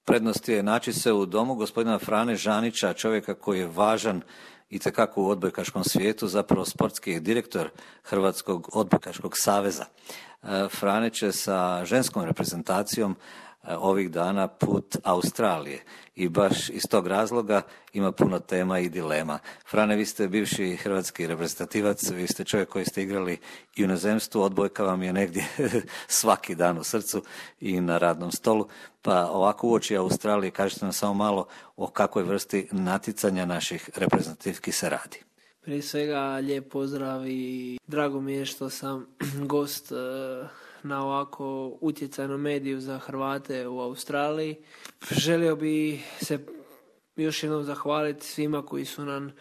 Prednost je naći se u domu gospodina Frane Žanića, čovjeka koji je važan itekako u odbojkaškom svijetu, zapravo sportski direktor Hrvatskog odbojkaškog saveza. Frane će sa ženskom reprezentacijom ovih dana put Australije i baš iz tog razloga ima puno tema i dilema. Frane, vi ste bivši hrvatski reprezentativac, vi ste čovjek koji ste igrali i u inozemstvu, odbojka vam je negdje svaki dan u srcu i na radnom stolu, pa ovako uoči Australije kažete nam samo malo o kakvoj vrsti natjecanja naših reprezentativki se radi. Prije svega lijep pozdrav i drago mi je što sam gost na ovako utjecajnom mediju za Hrvate u Australiji. Želio bi se još jednom zahvaliti svima koji su nam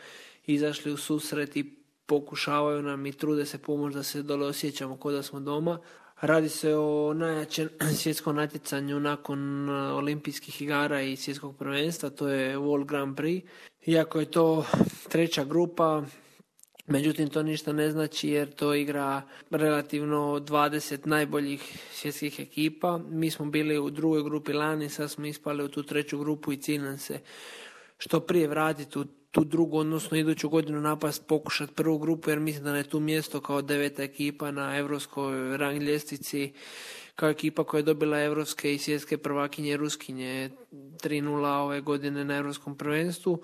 izašli u susret i pokušavaju nam i trude se pomoći da se dole osjećamo kao da smo doma. Radi se o najjačem svjetskom natjecanju nakon olimpijskih igara i svjetskog prvenstva, to je World Grand Prix. Iako je to treća grupa, međutim, to ništa ne znači jer to igra relativno 20 najboljih svjetskih ekipa. Mi smo bili u drugoj grupi lani, sad smo ispali u tu treću grupu i cilj nam se što prije vratiti u tu drugu, odnosno iduću godinu napast, pokušati prvu grupu, jer mislim da je tu mjesto kao 9. ekipa na europskoj rang ljestvici, kao ekipa koja je dobila europske i svjetske prvakinje Ruskinje 3:0 ove godine na europskom prvenstvu.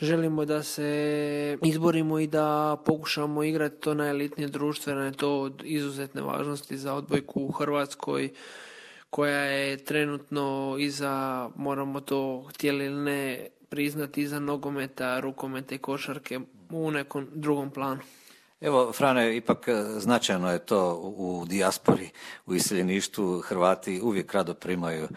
Želimo da se izborimo i da pokušamo igrati to najelitnije društvo, jer je to od izuzetne važnosti za odbojku u Hrvatskoj, koja je trenutno iza, moramo to htjeli ili ne priznati, iza nogometa, rukometa i košarke u nekom drugom planu. Evo, Frane, ipak značajno je to u dijaspori, u iseljeništvu. Hrvati uvijek rado primaju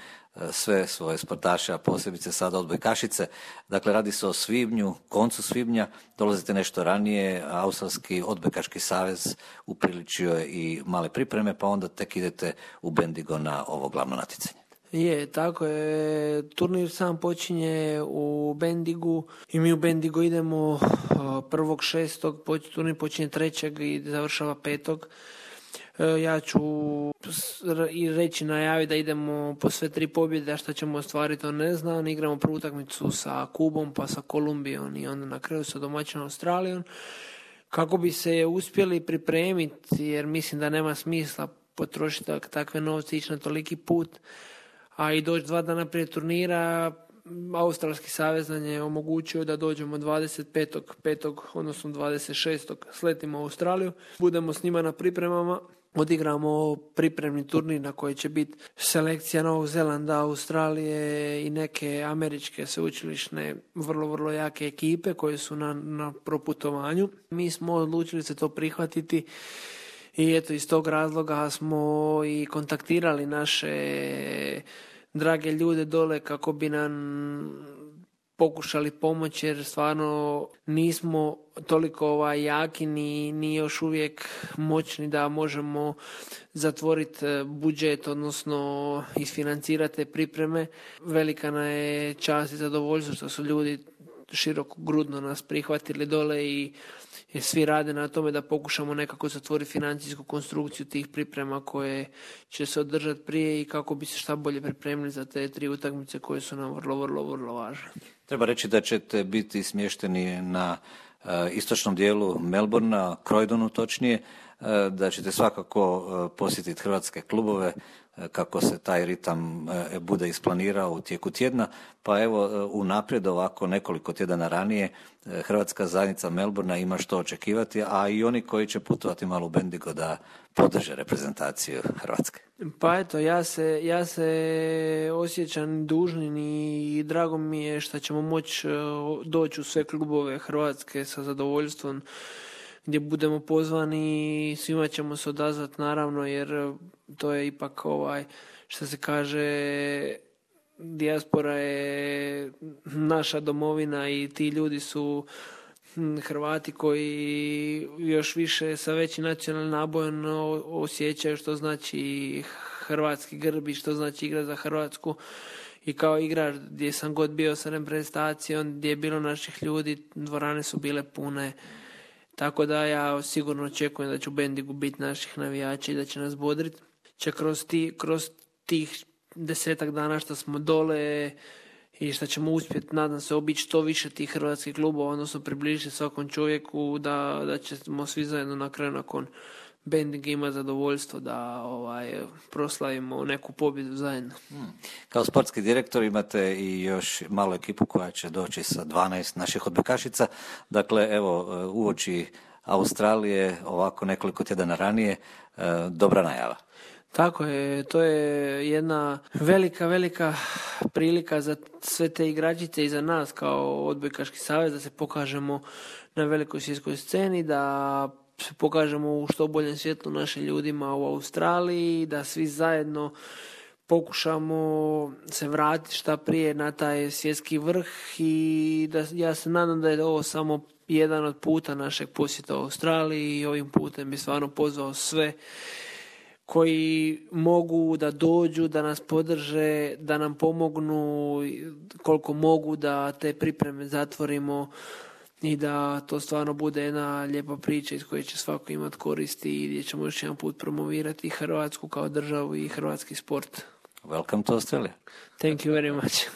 sve svoje sportaše, a posebice sada odbojkašice. Dakle, radi se o svibnju, koncu svibnja, dolazite nešto ranije, Australski odbojkaški savez upriličio je i male pripreme, pa onda tek idete u Bendigo na ovo glavno natjecanje. Je, tako je. Turnir sam počinje u Bendigu i mi u Bendigo idemo 1.6. Turnir počinje 3. i završava 5. Ja ću i reći, najaviti da idemo po sve 3 pobjede, a što ćemo ostvariti to ne znam. Igramo prvu utakmicu sa Kubom, pa sa Kolumbijom i onda na kraju sa domaćinom Australijom. Kako bi se uspjeli pripremiti, jer mislim da nema smisla potrošiti takve novce, ići na toliki put, a i doći 2 dana prije turnira. Australski savez nam je omogućio da dođemo 25.5. odnosno 26. sletimo u Australiju. Budemo s njima na pripremama. Odigramo pripremni turnir na koji će biti selekcija Novog Zelanda, Australije i neke američke sveučilišne vrlo jake ekipe koje su na proputovanju. Mi smo odlučili se to prihvatiti i eto iz tog razloga smo i kontaktirali naše drage ljude dole kako bi nam pokušali pomoći, jer stvarno nismo toliko jaki ni još uvijek moćni da možemo zatvoriti budžet, odnosno isfinancirati te pripreme. Velika nam je čast i zadovoljstvo što su ljudi širokogrudno nas prihvatili dole i svi rade na tome da pokušamo nekako zatvoriti financijsku konstrukciju tih priprema koje će se održati prije i kako bi se šta bolje pripremili za te 3 utakmice koje su nam vrlo važne. Treba reći da ćete biti smješteni na istočnom dijelu Melbourna, Croydonu točnije, da ćete svakako posjetiti hrvatske klubove kako se taj ritam bude isplanirao u tijeku tjedna, pa evo unaprijed ovako nekoliko tjedana ranije Hrvatska zajednica Melbourna ima što očekivati, a i oni koji će putovati malo u Bendigo da podrže reprezentaciju Hrvatske. Pa eto, ja se osjećam dužnim i drago mi je što ćemo moći doći u sve klubove Hrvatske sa zadovoljstvom gdje budemo pozvani. Svima ćemo se odazvati naravno, jer to je ipak što se kaže, dijaspora je naša domovina i ti ljudi su Hrvati koji još više sa većim nacionalnim nabojem osjećaju što znači hrvatski grb i što znači igra za Hrvatsku. I kao igrač gdje sam god bio sa reprezentacijom, gdje je bilo naših ljudi, dvorane su bile pune. Tako da ja sigurno očekujem da će u Bendigu biti naših navijača i da će nas bodriti. Će kroz tih 10 dana što smo dole i što ćemo uspjeti, nadam se, obići što više tih hrvatskih klubova, odnosno približiti svakom čovjeku da ćemo svi zajedno na kraju nakon Bending ima zadovoljstvo da proslavimo neku pobjedu zajedno. Kao sportski direktor imate i još malu ekipu koja će doći sa 12 naših odbojkašica. Dakle, evo, uoči Australije, ovako nekoliko tjedana ranije, dobra najava. Tako je, to je jedna velika prilika za sve te igračice i za nas kao odbojkaški savez da se pokažemo na velikoj svjetskoj sceni, da se pokažemo u što boljem svjetlu našim ljudima u Australiji, da svi zajedno pokušamo se vratiti šta prije na taj svjetski vrh i da ja se nadam da je ovo samo jedan od puta našeg posjeta u Australiji i ovim putem bi stvarno pozvao sve koji mogu da dođu, da nas podrže, da nam pomognu koliko mogu da te pripreme zatvorimo i da to stvarno bude jedna lijepa priča iz koje će svako imati koristi i gdje ćemo još jedan put promovirati Hrvatsku kao državu i hrvatski sport. Welcome to Australia. Thank you very much.